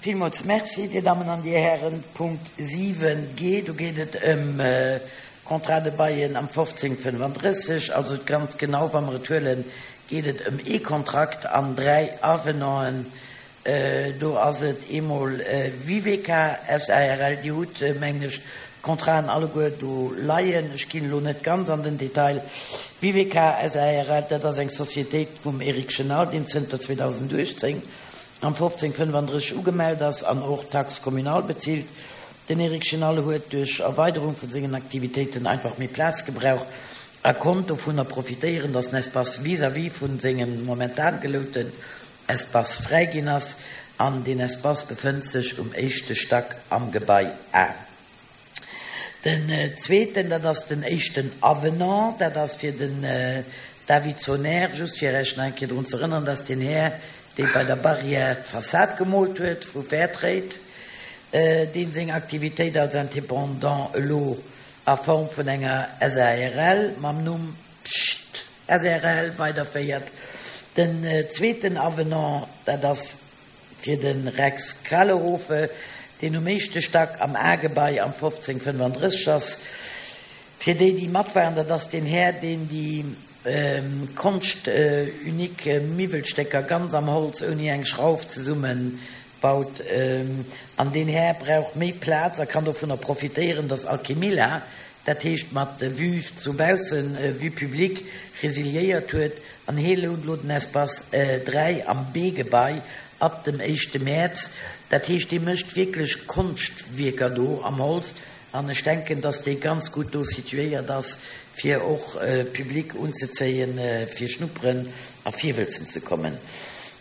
Villmools Merci, Dir Dammen an Dir Hären. Punkt 7 g, do geet et ëm Contrat de baillen am 1535. Also ganz genau, wa mer et huelen, geet et ëm ee Kontrakt an dräi Avenanten. Do ass et eemol Viveca SARL. Dir hutt, mengen ech, d'Contraten alleguer do leien. Ech ginn elo net ganz an den Detail. Viveca SARL, dat ass eng Societéit vum Eric Chenal, deen zënter 2018 am 1535 ugemellt ass an och Taxe communale bezilt. Den Eric Chenal huet duerch Erweiderung vu sengen Aktivitéiten einfach méi Plaz gebraucht a konnt dovunner profitéieren, datt den Espace vis-à-vis vu sengem momentan gelouten Espace fräi ginn ass an deen Espace befënnt sech um éischte Stack am Gebai A. Den zweeten, dat ass den éischten Avenant, dat ass fir den David Soner, just fir Iech nach eng Kéier drun ze erënneren, dat ass deen Här, dee bei der Barrière d'Fassad gemoolt huet vu Fairtrade, dee seng Aktivitéit als Indépendant elo a Form vun enger SARL mam Numm Pscht! Srl weiderféiert. Den zweeten Avenant, dat ass fir de Rex Kralehofe, deen um éischte Stack am A-Gebai am 1535 ass. Fir déi, déi mat waren, dat ass deen Här, deen déi Konscht unique Miwwelstécker ganz am Holz ouni eng Schrauf zesumme baut. An deen Här brauch méi Plaz a kann dovunner profitéieren, dass Alchemilla, dat heescht mat Vue zu baussen, Vue publique, resiliéiert huet an hee lount elo den Espace 3 am B-Gebai ab dem éischte Mäerz. Dat heescht, dee mécht wierklech Konschtwierker do am Holz An ech denken, dass dee ganz gutt do situéiert ass, fir och Public unzezéien, fir schnupperen a virwëlzen ze kommen.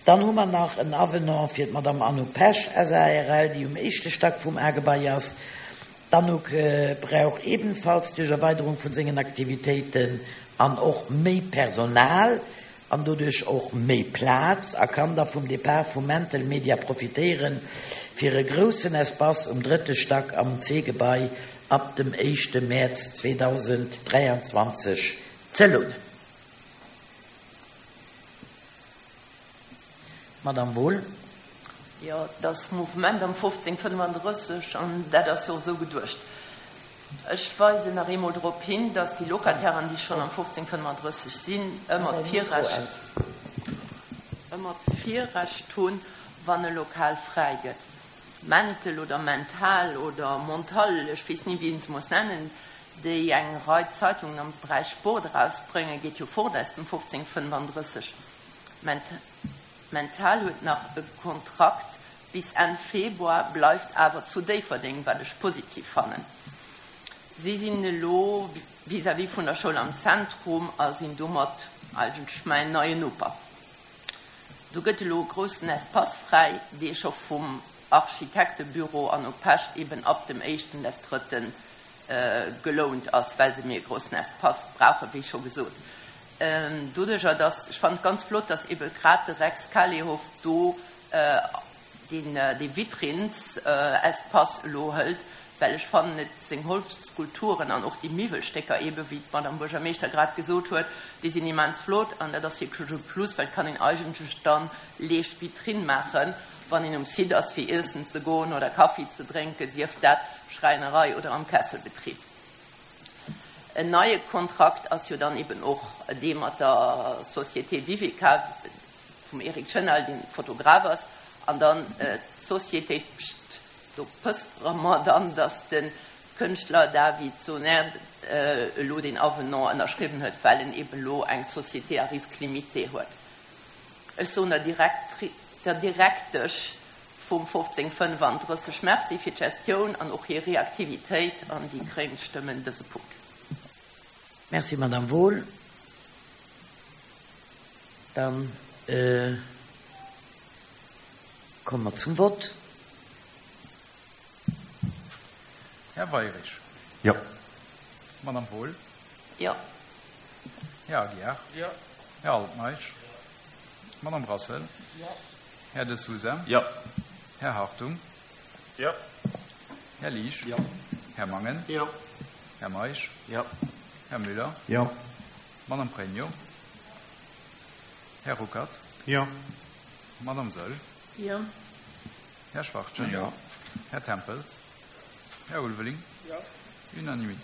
Dann hu mer nach en Avenant fir d'Madame Anouk Pesch, SARL, déi um éischte Stack vum A-Gebai ass. D'Anouk brauch ebenfalls duerch Erweiderung vun sengen Aktivitéiten an och méi Personal, an doduerch och méi Plaz a kann da vum Depart vu Mental Media profitéieren, fir e groussen Espace um drëtte Stack am C-Gebai ab dem éischte Mäerz 2023 ze lounen. Madamm Wohl. Jo, et ass Mouvement am 1535 an dat ass jo och esou geduecht. Ech weisen nach eemol drop hin, dass déi Locatairen, déi schonn am 1535 sinn, ëmmer d'Virrecht, ëmmer d'Virrecht hunn, wann e Lokal fräi gëtt. Mentel oder Mental oder Montal, ech weess ni wéi een se muss nennen, déi eng Rei Zeitungen am Beräich Sport erausbréngen, geet jo fort aus dem 1535. Mental huet nach e Kontrakt bis Enn Februar, bleift awer zu Déifferdeng, wat ech positiv fannen. Si sinn elo vis-à-vis vun der Schoul am Zentrum a sinn domat eigentlech mäin neien Noper. Do gëtt elo e groussen Espace fräi, dee scho vum Architektebüro Anouk Pesch eben ab dem éischten des drëtten gelount ass, well se méi e groussen Espace brauchen, wéi scho gesot. Doduerjer, dass, ech fannen et ganz flott, dass ebe grad de Rex Kalehoff do deen dee Vitrines-Espace elo hëlt, well ech fannen et, seng Holzskulpturen an och déi Miwwelstécker ebe, wéi d'Madame Buergermeeschter grad gesot huet, déi sinn immens flott an dat ass wierklech e Plus, well et kann een eigentlech dann leescht Vitrine maachen, wann een um Site ass fir iessen ze goen oder Kaffi ze drénken, sief dat Schräinerei oder am Kesselbetrib. En neie Kontrakt ass jo dann eben och dee mat der Société Vivica vum Eric Chenal, dee Fotograf ass, an dann d'Société Pscht. Do pëspere mer dann, datt de Kënschtler David Soner elo deen Avenant ënnerschriwwen huet, well en eben elo eng Société à risque limité huet. Ech soen der der Direktesch vum 1535 Merci fir d'Gestioun an och hir Reaktivitéit an déi gréng stëmmen dëse Punkt. Merci, Madame Wohl. Da komme mer zum Vott. Här Weirich. Jo. Madame Wohl. Jo. Här Aguiar. Jo. Här Altmeisch. Madame Brassel. Jo. Här De Sousa. Jo. Här Hartung. Jo. Här Liesch. Jo. Här Mangen. Jo. Här Meisch. Jo. Här Müller. Jo. Madame Pregno. Här Ruckert. Jo. Madame Saeul. Jo. Här Schwachtgen. Jo. Här Tempels. Här Ulveling. Jo. Unanimité.